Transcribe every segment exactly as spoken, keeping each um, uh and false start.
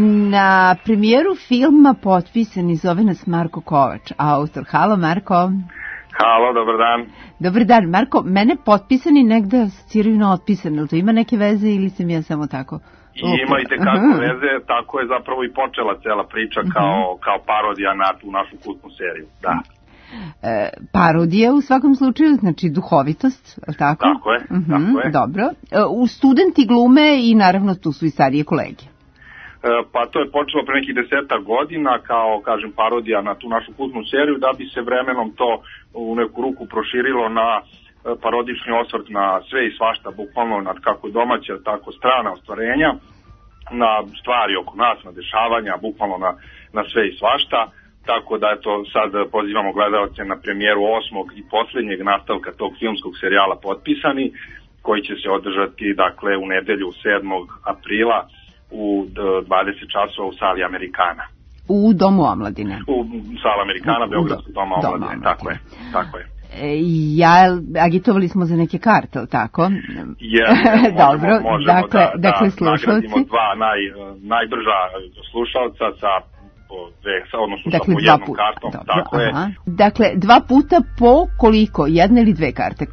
Na premijeru filma Potpisani zove nas Marko Kovač, autor. Halo, Marko. Halo, dobar dan. Dobar dan. Marko, mene Potpisani negde asociraju na otpisane, ali to ima neke veze ili sam ja samo tako? I ima i tekako veze, tako je zapravo i počela cela priča kao, kao parodija na tu našu kultnu seriju, da. E, parodija u svakom slučaju, znači duhovitost, tako? Tako je, uh-huh, tako je. Dobro. E, u studenti glume i naravno tu su i starije kolege. E, pa to je počelo pre nekih deseta godina kao, kažem, parodija na tu našu kultnu seriju, da bi se vremenom to u neku ruku proširilo na parodični osvrt na sve i svašta, bukvalno na kako domaća, tako strana ostvarenja, na stvari oko nas, na dešavanja, bukvalno na, na sve i svašta. Tako da eto, sad pozivamo gledalce na premijeru osmog i poslednjeg nastavka tog filmskog serijala Potpisani, koji će se održati, dakle, u nedelju sedmog aprila u dvadeset časova u sali Amerikana. U Domu omladine. U sali Amerikana, Beogradskog doma omladine, tako je, tako je. Ja, agitovali smo za neke karte, tako? Je, dobro, možemo, možemo dakle, da, dakle, da slušalci. nagradimo dva naj, najbrža slušalca sa dve, odnosno dakle, sa po jednom puta, kartom. Dobro, tako aha. je. Dakle, dva puta po koliko? Jedna ili dve karte? E,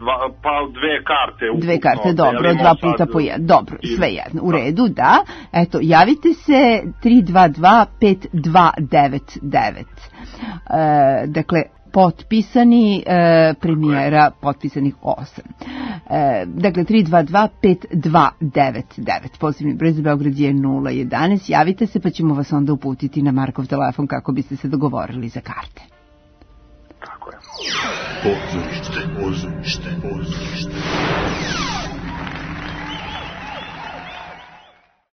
dva, pa dve karte. Ukupno, dve karte, dobro, dva puta sad, po jedna. Dobro, i, sve jedno, u redu, da. Eto, javite se tri dva dva pet dva devet devet. E, dakle, Potpisani, e, premijera Potpisanih osam. E, dakle, tri dva dva pet dva devet devet. Pozivni broj za Beograd je nula jedanaest. Javite se pa ćemo vas onda uputiti na Markov telefon kako biste se dogovorili za karte. Tako je. Pozorište, pozorište, pozorište.